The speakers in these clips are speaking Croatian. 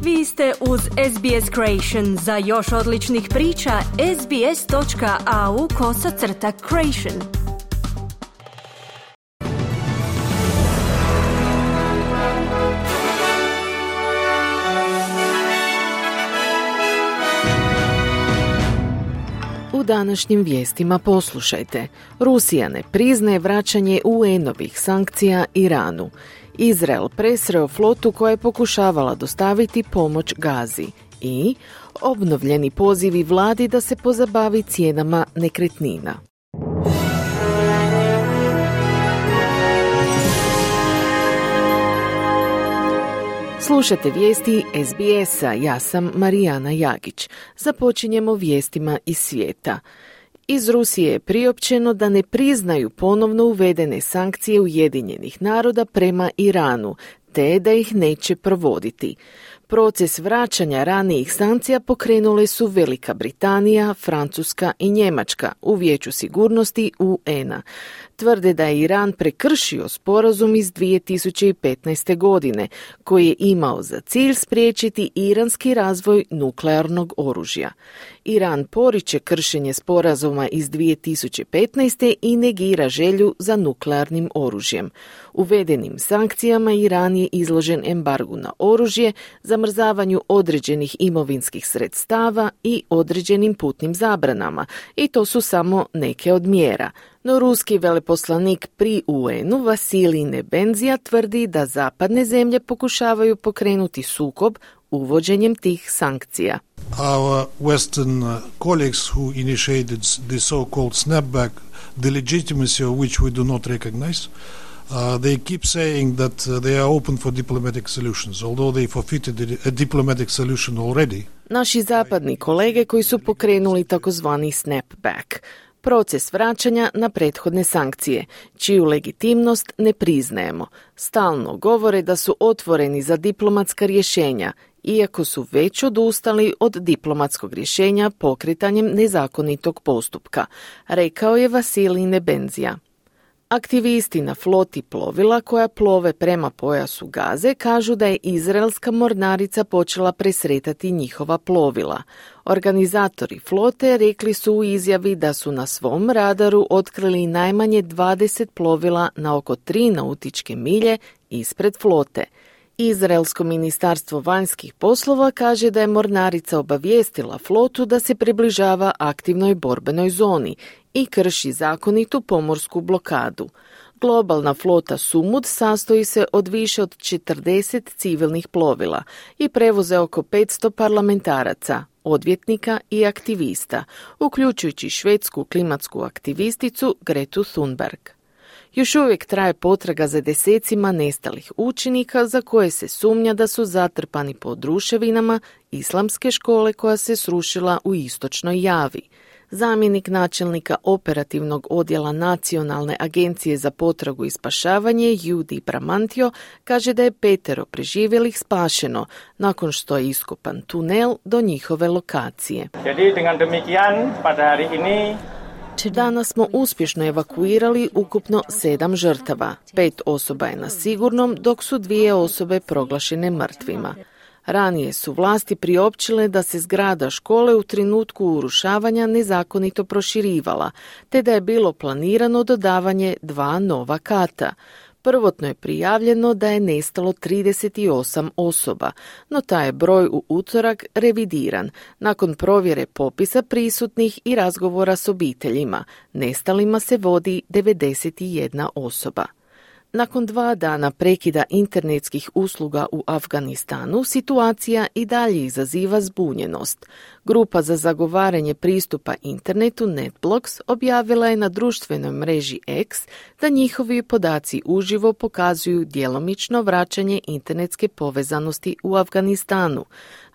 Vi ste uz SBS Creation. Za još odličnih priča, sbs.au/creation. U današnjim vijestima poslušajte. Rusija ne priznaje vraćanje UN-ovih sankcija Iranu. Izrael presreo flotu koja je pokušavala dostaviti pomoć Gazi. I obnovljeni pozivi vladi da se pozabavi cijenama nekretnina. Slušate vijesti SBS-a, ja sam Marijana Jagić. Započinjemo vijestima iz svijeta. Iz Rusije je priopćeno da ne priznaju ponovno uvedene sankcije Ujedinjenih naroda prema Iranu, te da ih neće provoditi. Proces vraćanja ranijih sankcija pokrenule su Velika Britanija, Francuska i Njemačka u Vijeću sigurnosti UN-a. Tvrde da je Iran prekršio sporazum iz 2015. godine, koji je imao za cilj spriječiti iranski razvoj nuklearnog oružja. Iran poriče kršenje sporazuma iz 2015. i negira želju za nuklearnim oružjem. Uvedenim sankcijama Iran je izložen embargu na oružje, zamrzavanju određenih imovinskih sredstava i određenim putnim zabranama, i to su samo neke od mjera. No ruski veleposlanik pri UN-u Vasilij Nebenzija tvrdi da zapadne zemlje pokušavaju pokrenuti sukob uvođenjem tih sankcija. Our Western colleagues who initiated the so-called snapback, the legitimacy of which we do not recognize, they keep saying that they are open for diplomatic solutions, although they forfeited a diplomatic solution already. Naši zapadni kolege koji su pokrenuli takozvani snapback, proces vraćanja na prethodne sankcije, čiju legitimnost ne priznajemo. Stalno govore da su otvoreni za diplomatska rješenja, iako su već odustali od diplomatskog rješenja pokretanjem nezakonitog postupka, rekao je Vasilij Nebenzija. Aktivisti na floti plovila koja plove prema pojasu Gaze kažu da je izraelska mornarica počela presretati njihova plovila. Organizatori flote rekli su u izjavi da su na svom radaru otkrili najmanje 20 plovila na oko 3 nautičke milje ispred flote. Izraelsko ministarstvo vanjskih poslova kaže da je mornarica obavijestila flotu da se približava aktivnoj borbenoj zoni i krši zakonitu pomorsku blokadu. Globalna flota Sumud sastoji se od više od 40 civilnih plovila i prevoze oko 500 parlamentaraca, odvjetnika i aktivista, uključujući švedsku klimatsku aktivisticu Gretu Thunberg. Još uvijek traje potraga za desecima nestalih učenika za koje se sumnja da su zatrpani pod ruševinama islamske škole koja se srušila u istočnoj Javi. Zamjenik načelnika operativnog odjela Nacionalne agencije za potragu i spašavanje Judy Bramantio kaže da je 5 preživjelih spašeno nakon što je iskopan tunel do njihove lokacije. Jadi dengan demikian pada hari ini danas smo uspješno evakuirali ukupno 7 žrtava. 5 osoba je na sigurnom, dok su 2 osobe proglašene mrtvima. Ranije su vlasti priopćile da se zgrada škole u trenutku urušavanja nezakonito proširivala, te da je bilo planirano dodavanje 2 nova kata. Prvotno je prijavljeno da je nestalo 38 osoba, no taj je broj u utorak revidiran. Nakon provjere popisa prisutnih i razgovora s obiteljima, nestalima se vodi 91 osoba. Nakon 2 dana prekida internetskih usluga u Afganistanu, situacija i dalje izaziva zbunjenost. Grupa za zagovaranje pristupa internetu NetBlocks objavila je na društvenoj mreži X da njihovi podaci uživo pokazuju djelomično vraćanje internetske povezanosti u Afganistanu,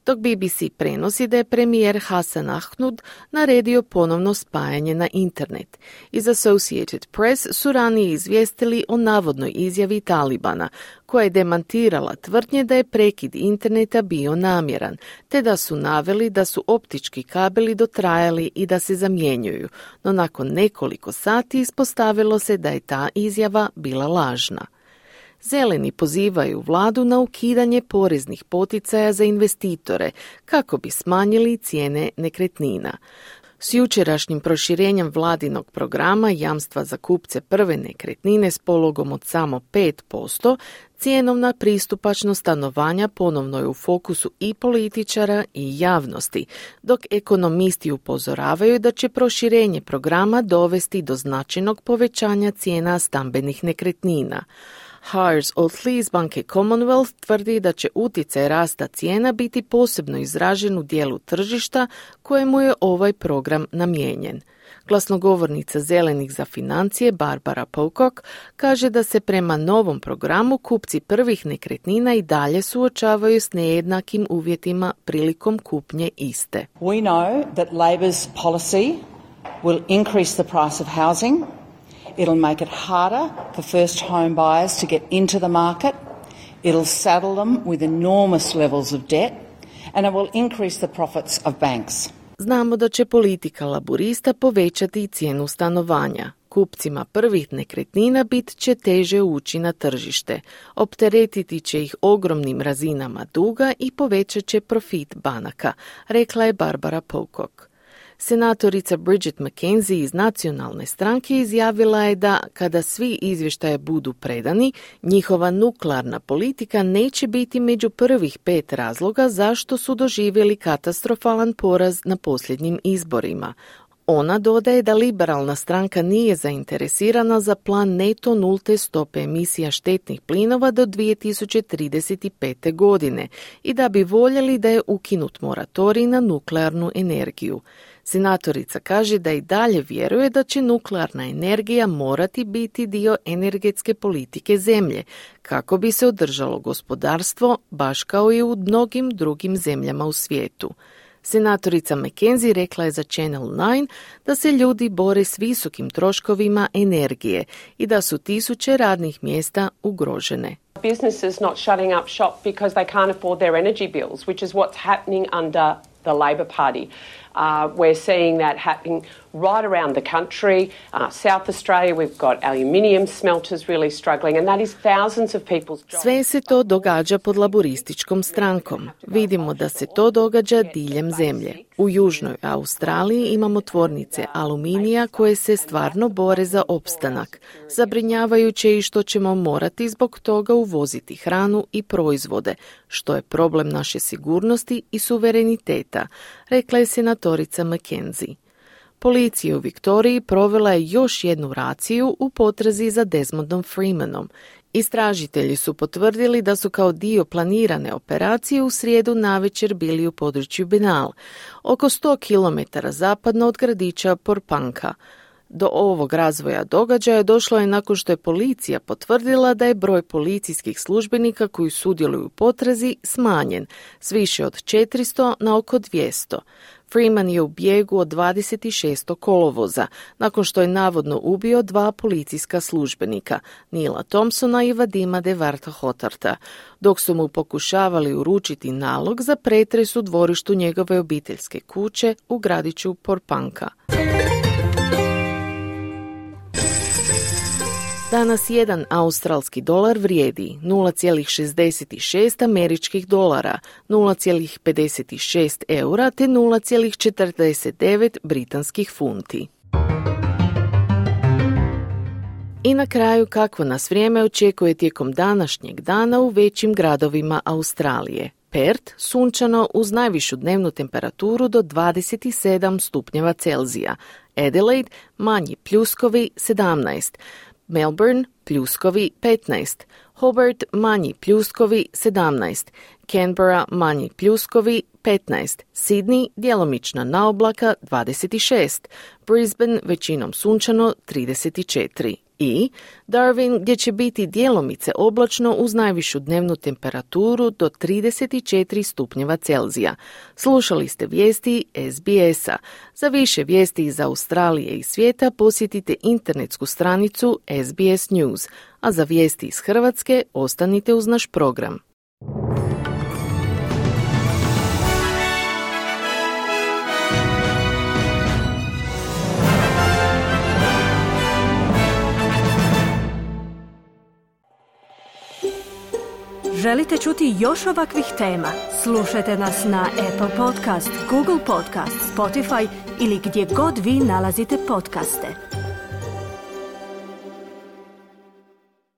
dok BBC prenosi da je premijer Hasan Ahmud naredio ponovno spajanje na internet. Iz Associated Press su ranije izvijestili o navodnoj izjavi Talibana, koja je demantirala tvrdnje da je prekid interneta bio namjeran, te da su naveli da su optički kabeli dotrajali i da se zamjenjuju, no nakon nekoliko sati ispostavilo se da je ta izjava bila lažna. Zeleni pozivaju vladu na ukidanje poreznih poticaja za investitore kako bi smanjili cijene nekretnina. S jučerašnjim proširenjem vladinog programa jamstva za kupce prve nekretnine s pologom od samo 5%, cjenovna pristupačnost stanovanja ponovno je u fokusu i političara i javnosti, dok ekonomisti upozoravaju da će proširenje programa dovesti do značajnog povećanja cijena stambenih nekretnina. Hars Otley iz banke Commonwealth tvrdi da će utjecaj rasta cijena biti posebno izražen u dijelu tržišta kojemu je ovaj program namijenjen. Glasnogovornica Zelenih za financije Barbara Pocock kaže da se prema novom programu kupci prvih nekretnina i dalje suočavaju s nejednakim uvjetima prilikom kupnje iste. We know that Labor's policy will increase the price of housing. It'll make it harder for first home buyers to get into the market. It'll saddle them with enormous levels of debt, and it will increase the profits of banks. Znamo da će politika laburista povećati cijenu stanovanja. Kupcima prvih nekretnina bit će teže ući na tržište. Opteretiti će ih ogromnim razinama duga i povećat će profit banaka, rekla je Barbara Pocock. Senatorica Bridget McKenzie iz Nacionalne stranke izjavila je da kada svi izvještaje budu predani, njihova nuklearna politika neće biti među prvih 5 razloga zašto su doživjeli katastrofalan poraz na posljednjim izborima. Ona dodaje da liberalna stranka nije zainteresirana za plan neto nulte stope emisija štetnih plinova do 2035. godine i da bi voljeli da je ukinut moratorij na nuklearnu energiju. Senatorica kaže da i dalje vjeruje da će nuklearna energija morati biti dio energetske politike zemlje, kako bi se održalo gospodarstvo, baš kao i u mnogim drugim zemljama u svijetu. Senatorica McKenzie rekla je za Channel 9 da se ljudi bore s visokim troškovima energije i da su tisuće radnih mjesta ugrožene. Businesses not shutting up shop because they can't afford their energy bills, which is what's happening under the Labor Party. We're seeing that happening right around the country. South Australia, we've got aluminium smelters really struggling, and that is thousands of people's jobs. Sve se to događa pod laburističkom strankom. Vidimo da se to događa diljem zemlje. U Južnoj Australiji imamo tvornice aluminija koje se stvarno bore za opstanak. Zabrinjavajuće i što ćemo morati zbog toga uvoziti hranu i proizvode, što je problem naše sigurnosti i suvereniteta, rekla je senatorica McKenzie. Policija u Viktoriji provela je još jednu raciju u potrazi za Desmondom Freemanom. Istražitelji su potvrdili da su kao dio planirane operacije u srijedu navečer bili u području Benal, oko 100 km zapadno od gradića Porpanka. Do ovog razvoja događaja došlo je nakon što je policija potvrdila da je broj policijskih službenika koji sudjeluju u potrazi smanjen s više od 400 na oko 200. Freeman je u bijegu od 26. kolovoza, nakon što je navodno ubio 2 policijska službenika, Neila Thompsona i Vadima Devarta Hotarta, dok su mu pokušavali uručiti nalog za pretres u dvorištu njegove obiteljske kuće u gradiću Porpanka. Danas jedan australski dolar vrijedi 0,66 američkih dolara, 0,56 eura te 0,49 britanskih funti. I na kraju kakvo nas vrijeme očekuje tijekom današnjeg dana u većim gradovima Australije. Perth sunčano uz najvišu dnevnu temperaturu do 27 stupnjeva Celzija. Adelaide manji pljuskovi 17. Melbourne pljuskovi 15, Hobart manji pljuskovi 17, Canberra manji pljuskovi 15, Sydney djelomična naoblaka 26, Brisbane većinom sunčano 34 i Darwin gdje će biti djelomice oblačno uz najvišu dnevnu temperaturu do 34 stupnjeva Celzija. Slušali ste vijesti SBS-a. Za više vijesti iz Australije i svijeta posjetite internetsku stranicu SBS News, a za vijesti iz Hrvatske ostanite uz naš program. Želite čuti još ovakvih tema? Slušajte nas na Apple Podcast, Google Podcast, Spotify ili gdje god vi nalazite podcaste.